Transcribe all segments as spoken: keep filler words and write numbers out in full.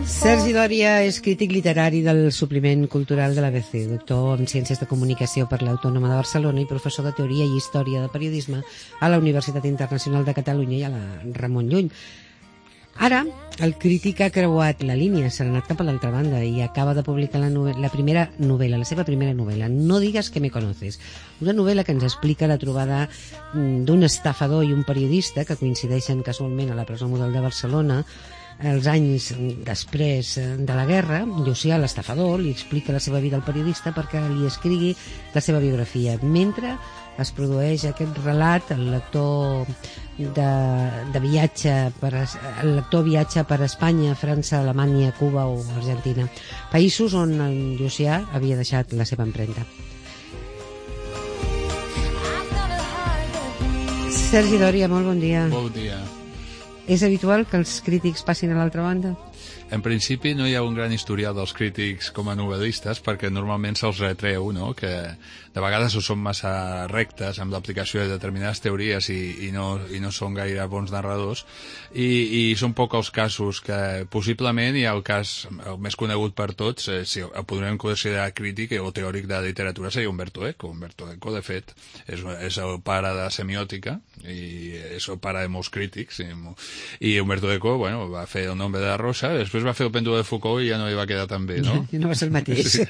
Sergi Dòria és crític literari del suplement cultural de l'A B C, doctor en Ciències de Comunicació per l'Autònoma de Barcelona i professor de Teoria i Història de Periodisme a la Universitat Internacional de Catalunya i a la Ramon Llull. Ara, el crític ha creuat la línia, s'ha anat cap a l'altra banda i acaba de publicar la, la primera novel·la, la seva primera novel·la, No digues que me conoces. Una novel·la que ens explica la trobada d'un estafador i un periodista que coincideixen casualment a la presó Model de Barcelona els anys després de la guerra. Llucià, l'estafador, li explica la seva vida al periodista perquè li escrigui la seva biografia. Mentre es produeix aquest relat, el lector de, de viatge per, el lector viatja per Espanya, França, Alemanya, Cuba o Argentina, països on en Llucià havia deixat la seva empremta. Sergi Dòria, molt bon dia. Bon dia. És habitual que els crítics passin a l'altra banda? En principi no hi ha un gran historial dels crítics com a novel·listes perquè normalment se'ls retreu, no?, que de vegades o són massa rectes amb l'aplicació de determinades teories i, i, no, i no són gaire bons narradors i, i són poc els casos que possiblement hi ha el cas el més conegut per tots, eh, si el podrem considerar crític o teòric de literatura, seria Umberto Eco. Umberto Eco, de fet, és, és el pare de la semiòtica i és el pare de molts crítics i, i Umberto Eco, bueno, va fer El nombre de la rosa, després va fer El pèndol de Foucault i ja no hi va quedar tan bé, no? No va ser el mateix. Sí.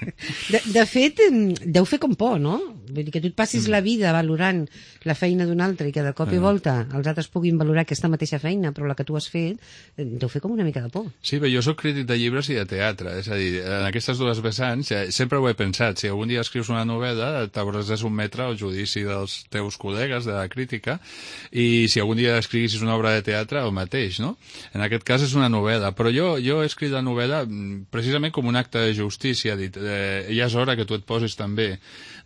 De, de fet, deu fer com por, no? Vull dir que tu et passis mm. la vida valorant la feina d'un altre i que de cop i volta els altres puguin valorar aquesta mateixa feina, però la que tu has fet, deu fer com una mica de por. Sí, però jo soc crític de llibres i de teatre, és a dir, en aquestes dues vessants sempre ho he pensat, si algun dia escrius una novel·la t'hauràs de sotmetre al judici dels teus col·legues de la crítica i si algun dia escriguissis una obra de teatre, el mateix, no? En aquest cas és una novel·la, però jo, jo he escrit la novel·la precisament com un acte de justícia, dit, eh, ja és hora que tu et posis també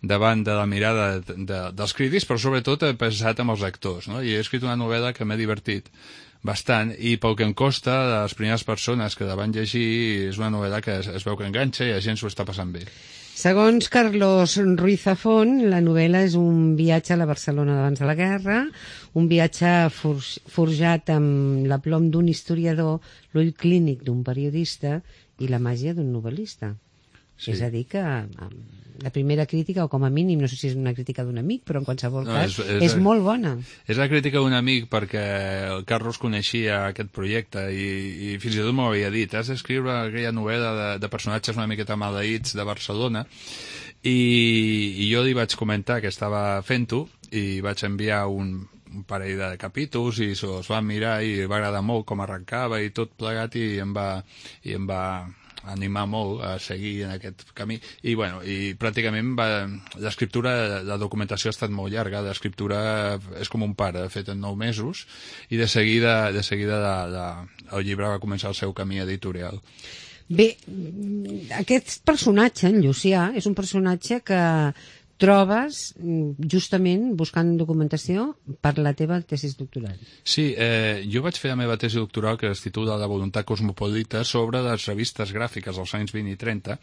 davant de la mirada de, de, dels crítics, però sobretot he pensat amb els actors, no? I he escrit una novel·la que m'ha divertit bastant i pel que em costa, les primeres persones que la van llegir, és una novel·la que es, es veu que enganxa i la gent s'ho està passant bé. Segons Carlos Ruiz Zafón, la novel·la és un viatge a la Barcelona d'abans de la guerra, un viatge for forjat amb l'aplom d'un historiador, l'ull clínic d'un periodista i la màgia d'un novel·lista. Sí. És a dir, que la primera crítica, o com a mínim, no sé si és una crítica d'un amic, però en qualsevol no, cas és, és, és molt bona. És la crítica d'un amic perquè el Carlos coneixia aquest projecte i, i fins i tot m'ho havia dit, has d'escriure aquella novel·la de, de personatges una miqueta maleïts de Barcelona i, i jo li vaig comentar que estava fent-ho i vaig enviar un, un parell de capítols i se'ls va mirar i va agradar molt com arrencava i tot plegat i em va... I em va animar molt a seguir en aquest camí i, bueno, i pràcticament va, l'escriptura, la documentació ha estat molt llarga, l'escriptura és com un pare, fet en nou mesos i de seguida, de seguida la, la, el llibre va començar el seu camí editorial. Bé, aquest personatge, en Llucià, és un personatge que trobes justament buscant documentació per la teva tesis doctoral. Sí, eh, jo vaig fer la meva tesi doctoral que es titula La voluntat cosmopolita sobre les revistes gràfiques dels anys vint i trenta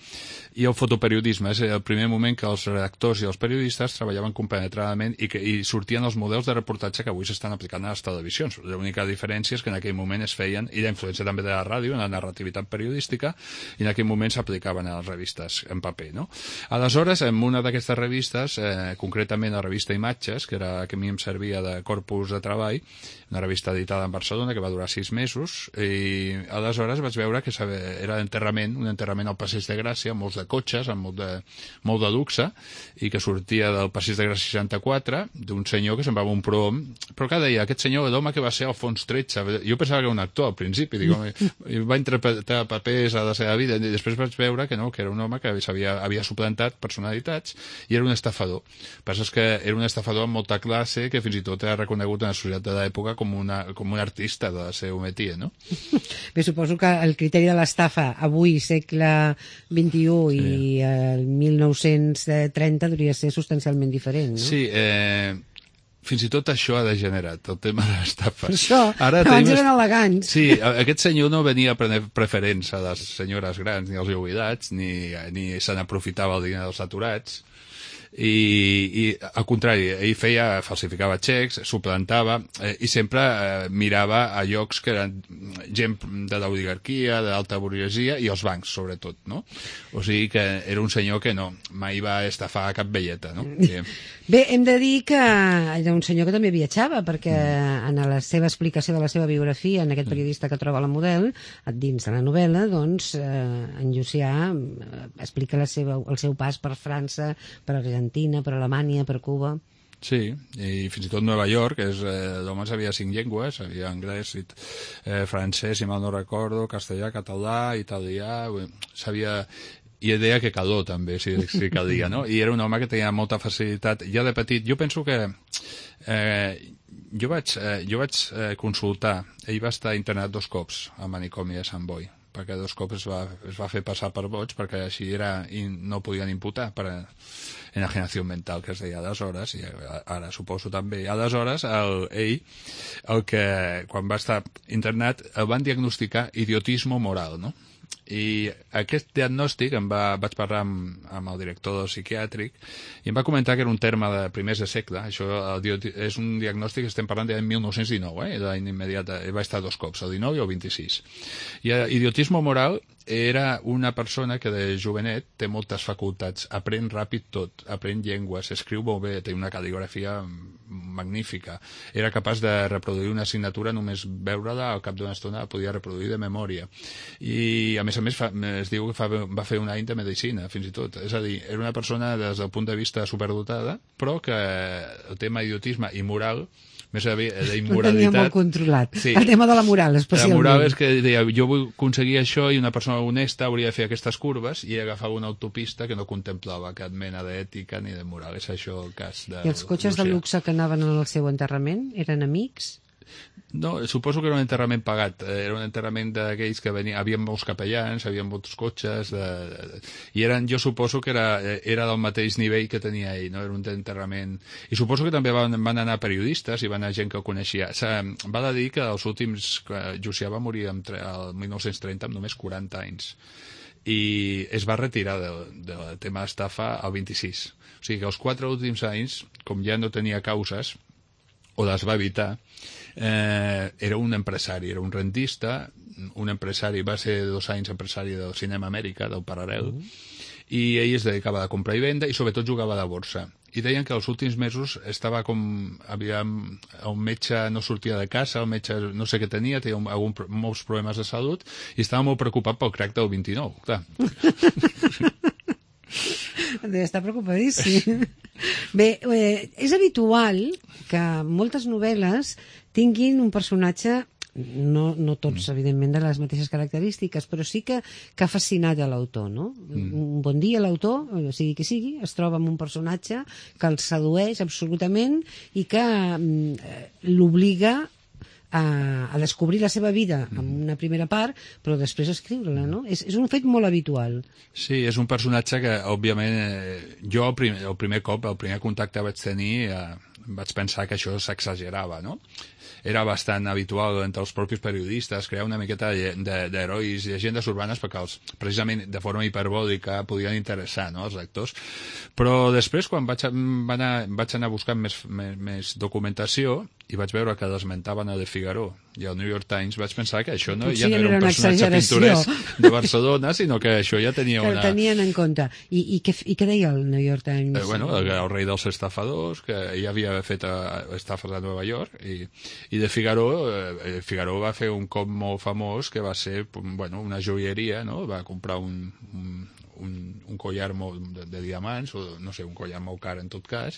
i el fotoperiodisme. És el primer moment que els redactors i els periodistes treballaven compenetradament i, que, i sortien els models de reportatge que avui s'estan aplicant a les televisions. L'única diferència és que en aquell moment es feien, i la influència també de la ràdio, en la narrativitat periodística, i en aquell moment s'aplicaven a les revistes en paper, no? Aleshores, en una d'aquestes revistes Eh, concretament la revista Imatges, que era que a mi em servia de corpus de treball, una revista editada en Barcelona que va durar sis mesos i aleshores vaig veure que era enterrament, un enterrament al Passeig de Gràcia amb molts de cotxes, amb molt de, molt de luxe i que sortia del Passeig de Gràcia seixanta-quatre d'un senyor que semblava un prom, però que deia, aquest senyor l'home que va ser Alfons tretze, jo pensava que era un actor al principi, dic, va interpretar papers a la seva vida i després vaig veure que no, que era un home que havia, havia suplantat personalitats i era un estafador. El que passa és que era un estafador amb molta classe que fins i tot era reconegut en la societat de l'època com, una, com un artista de la seva métier, no? Bé, suposo que el criteri de l'estafa avui, segle vint-i-u sí. i el mil nou-cents trenta hauria de ser substancialment diferent, no? Sí, eh... fins i tot això ha degenerat, el tema de l'estafa. Per això, Ara abans tenim... eren elegants. Sí, aquest senyor no venia a prendre preferents a les senyores grans ni als jubilats, ni, ni se n'aprofitava el diner dels aturats, I, i al contrari, ell feia, falsificava xecs, suplantava, eh, i sempre eh, mirava a llocs que eren gent de l'oligarquia, d'alta burguesia, i els bancs, sobretot, no? O sigui que era un senyor que no, mai va estafar cap velleta, no? I... Bé, hem de dir que era un senyor que també viatjava, perquè mm. en la seva explicació de la seva biografia, en aquest periodista que troba la Model, dins de la novel·la, doncs, eh, en Llucià eh, explica la seva, el seu pas per França, per Argentina, per Alemanya, per Cuba... Sí, i fins i tot Nova York, és, eh, l'home sabia cinc llengües, sabia anglès, eh, francès, si mal no recordo, castellà, català, italià, sabia... I deia que calor també, si, si calia, no? I era un home que tenia molta facilitat. Ja de petit, jo penso que eh, jo vaig, eh, jo vaig eh, consultar, ell va estar internat dos cops al manicomi de Sant Boi, perquè dos cops es va, es va fer passar per boig, perquè així era, i no podien imputar per enajenació mental, que es deia aleshores, i ara suposo també. Aleshores, el, ell, el que, quan va estar internat, el van diagnosticar idiotismo moral, no? I aquest diagnòstic em va, vaig parlar amb, amb el director del psiquiàtric i em va comentar que era un terme de primers de segle. Això el, és un diagnòstic que estem parlant de mil nou-cents dinou, eh? L'any immediat, va estar dos cops, el dinou i el vint-i-sis. I idiotismo moral era una persona que de jovenet té moltes facultats, aprèn ràpid tot, aprèn llengües, escriu molt bé, té una cal·ligrafia magnífica, era capaç de reproduir una assignatura només veure-la, al cap d'una estona la podia reproduir de memòria. I a més a més fa, es diu que fa, va fer un any de medicina, fins i tot. És a dir, era una persona des del punt de vista superdotada, però que el tema idiotisme i moral més d'immoralitat... Ho tenia molt controlat. Sí. El tema de la moral, especialment. La moral és que deia, jo vull aconseguir això i una persona honesta hauria de fer aquestes curves i agafava una autopista que no contemplava cap mena d'ètica ni de moral. És això el cas de... I els cotxes de luxe que anaven al seu enterrament eren amics? No, suposo que era un enterrament pagat. Era un enterrament d'aquells que venien... Havia molts capellans, havia molts cotxes... De, de, I eren, jo suposo que era, era del mateix nivell que tenia ell, no? Era un enterrament... I suposo que també van, van anar periodistes i van anar gent que el coneixia. Val a dir que els últims... Llucià va morir el mil nou-cents trenta amb només quaranta anys. I es va retirar del, del tema d'estafa al vint-i-sis. O sigui que els quatre últims anys, com ja no tenia causes, o les va evitar, eh, era un empresari, era un rentista, un empresari, va ser dos anys empresari del Cinema Amèrica, del Paral·lel, uh -huh. i ell es dedicava a comprar i venda i sobretot jugava a la borsa. I deien que els últims mesos estava com... Havia, el metge no sortia de casa, el metge no sé què tenia, tenia algun, molts problemes de salut i estava molt preocupat pel crack del vint-i-nou, clar. Deve estar preocupadíssim. Bé, eh, és habitual que moltes novel·les tinguin un personatge, no, no tots, evidentment, de les mateixes característiques, però sí que, que ha fascinat a l'autor, no? Mm. Un bon dia l'autor, o sigui qui sigui, es troba amb un personatge que el sedueix absolutament i que eh, l'obliga a, a descobrir la seva vida en una primera part, però després escriure-la, no? És, és un fet molt habitual. Sí, és un personatge que, òbviament, eh, jo el primer, el primer cop, el primer contacte vaig tenir, eh, vaig pensar que això s'exagerava, no? Era bastant habitual entre els propis periodistes crear una miqueta d'herois i llegendes urbanes perquè els, precisament de forma hiperbòlica podien interessar, no, als lectors. Però després, quan vaig, anar, vaig anar buscant més, més, més documentació i vaig veure que l'esmentaven a Le Figaro i al New York Times, vaig pensar que això no, ja no era un personatge pintoresc de Barcelona, sinó que això ja tenia que una... Que el tenien en compte. I, i, què, I què deia el New York Times? Eh, bueno, el, el rei dels estafadors, que ell havia fet estafes a Nova York, i, i de Figaro, eh, Figaro va fer un cop molt famós que va ser, bueno, una joieria, no? Va comprar un... un un, un collar molt de, de diamants, o no sé, un collar molt car en tot cas,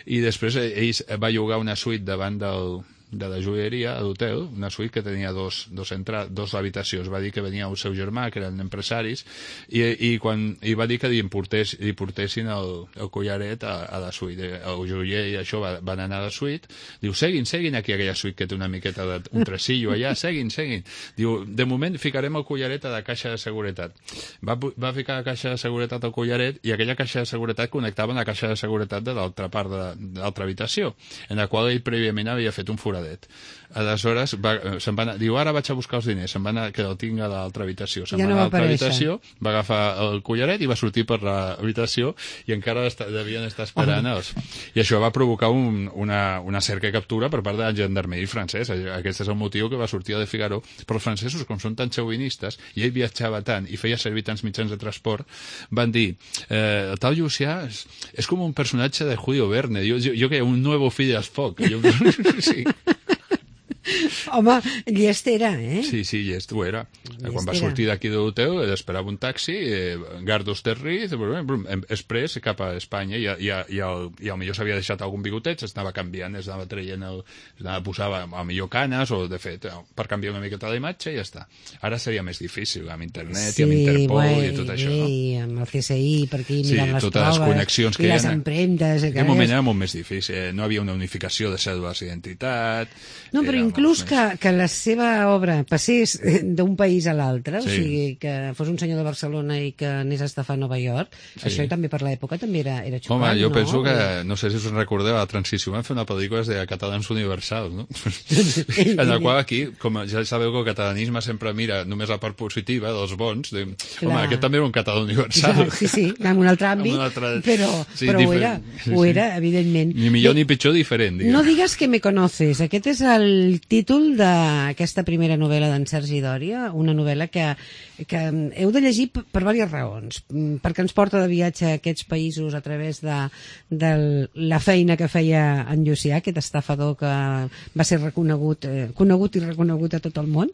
i després ell va llogar una suite davant del, de la joieria a l'hotel, una suite que tenia dos, dos, entra, dos habitacions. Va dir que venia el seu germà, que eren empresaris, i, i, quan, i va dir que li, importés, li portessin el, el collaret a, a la suite. El joier i això va, van anar a la suite, diu, seguin, seguin aquí aquella suite que té una miqueta de, un tresillo allà, seguin, seguin. Diu, de moment ficarem el collaret a la caixa de seguretat. Va, va ficar la caixa de seguretat al collaret i aquella caixa de seguretat connectava amb la caixa de seguretat de l'altra part de, de l'altra habitació, en la qual ell prèviament havia fet un forat foradet. Aleshores, va, se'n va anar, diu, ara vaig a buscar els diners, se'n va anar, que el tinc a l'altra habitació. Se'n ja va no anar a va l'altra aparèixer. habitació, va agafar el collaret i va sortir per l'habitació i encara està, devien estar esperant els... I això va provocar un, una, una cerca i captura per part de la gendarmeria francès. Aquest és el motiu que va sortir a De Figaro. Però els francesos, com són tan xauvinistes, i ell viatjava tant i feia servir tants mitjans de transport, van dir, eh, el tal Llucià és, és com un personatge de Julio Verne, jo, jo, jo que un nuevo fill del foc. Jo, sí. Home, llest era, eh? Sí, sí, llest ho era. Llest Quan va era. sortir d'aquí de l'hotel, esperava un taxi, eh, Gardos Terriz, express cap a Espanya, i, i, i, el, i al millor s'havia deixat algun bigotet, s'anava canviant, s'anava traient, el, s'anava posava a millor canes, o de fet, per canviar una miqueta la imatge i ja està. Ara seria més difícil, amb internet Sí, i amb Interpol bueno, i tot això, no? I amb el C S I, per aquí Sí, mirant les totes les proves, connexions que i hi les ha. empremtes... En aquell moment era molt més difícil, eh? No havia una unificació de cèdules d'identitat... No, però era inclús molt que, que la seva obra passés d'un país a l'altre, Sí. o sigui, que fos un senyor de Barcelona i que anés a estafar a Nova York, Sí. això també per l'època també era, era xocant, Home, jo no? penso que, no sé si us en recordeu, a la transició van fer una pel·lícula de catalans universals, no? En la qual aquí, com ja sabeu que el catalanisme sempre mira només la part positiva dels bons, de, home, Clar. aquest també era un català universal. Clar, sí, sí, en un altre En àmbit, un altre- però, sí, però ho diferent. era, Sí, ho sí. era, evidentment. Ni millor Bé, ni pitjor, diferent, diguem. no digues que me conoces. Aquest és el títol d'aquesta primera novel·la d'en Sergi Dòria, una novel·la que, que heu de llegir per, per diverses raons. Mm, Perquè ens porta de viatge a aquests països a través de, de la feina que feia en Llucià, aquest estafador que va ser reconegut, eh, conegut i reconegut a tot el món,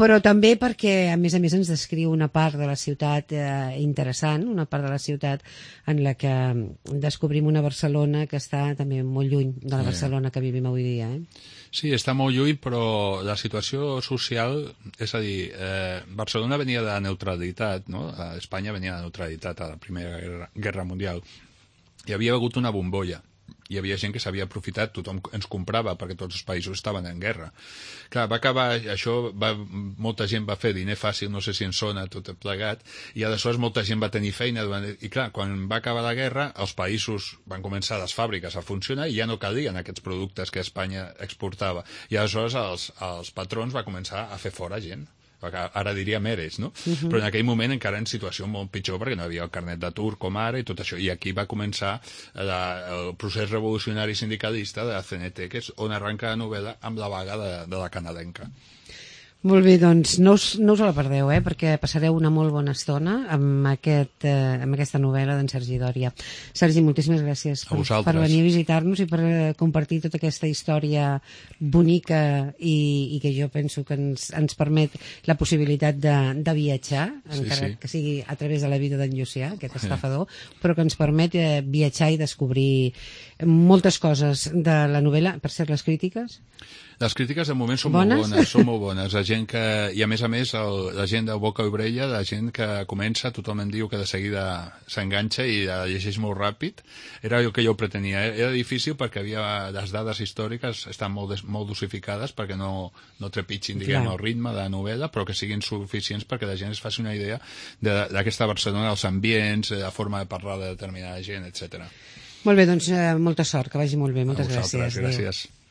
però també perquè, a més a més, ens descriu una part de la ciutat eh, interessant, una part de la ciutat en la que descobrim una Barcelona que està també molt lluny de la Sí. Barcelona que vivim avui dia. Eh? Sí, està molt lluny, però la situació social, és a dir, eh, Barcelona venia de la neutralitat, no? A Espanya venia de la neutralitat a la Primera Guerra, Guerra Mundial. Hi havia hagut una bombolla. Hi havia gent que s'havia aprofitat, tothom ens comprava perquè tots els països estaven en guerra. Clar, va acabar, això, va, molta gent va fer diner fàcil, no sé si en sona tot plegat, i aleshores molta gent va tenir feina, i clar, quan va acabar la guerra, els països van començar les fàbriques a funcionar i ja no calien aquests productes que Espanya exportava. I aleshores els, els patrons va començar a fer fora gent. Ara diríem eres, no? Uh-huh. Però en aquell moment encara en situació molt pitjor perquè no hi havia el carnet d'atur com ara i tot això. I aquí va començar la, el procés revolucionari sindicalista de la C N T, que és on arranca la novel·la amb la vaga de, de la canadenca. Molt bé, doncs no us, no us la perdeu, eh, perquè passareu una molt bona estona amb, aquest, eh, amb aquesta novel·la d'en Sergi Dòria. Sergi, moltíssimes gràcies per, per venir a visitar-nos i per eh, compartir tota aquesta història bonica i, i que jo penso que ens, ens permet la possibilitat de, de viatjar, Sí, encara sí. que sigui a través de la vida d'en Llucià, aquest estafador, però que ens permet eh, viatjar i descobrir moltes coses de la novel·la. Per cert, les crítiques? Les crítiques de moment són Bones? molt bones, són molt bones. La gent que, i a més a més, el, la gent de boca i orella, la gent que comença, tothom em diu que de seguida s'enganxa i la llegeix molt ràpid. Era el que jo pretenia. Era difícil perquè havia les dades històriques estan molt, des, molt dosificades perquè no, no trepitgin, diguem, Clar. el ritme de la novel·la, però que siguin suficients perquè la gent es faci una idea d'aquesta Barcelona, els ambients, la forma de parlar de determinada gent, etcètera. Molt bé, doncs eh, molta sort, que vagi molt bé. Moltes A vosaltres, gràcies. Adéu. gràcies.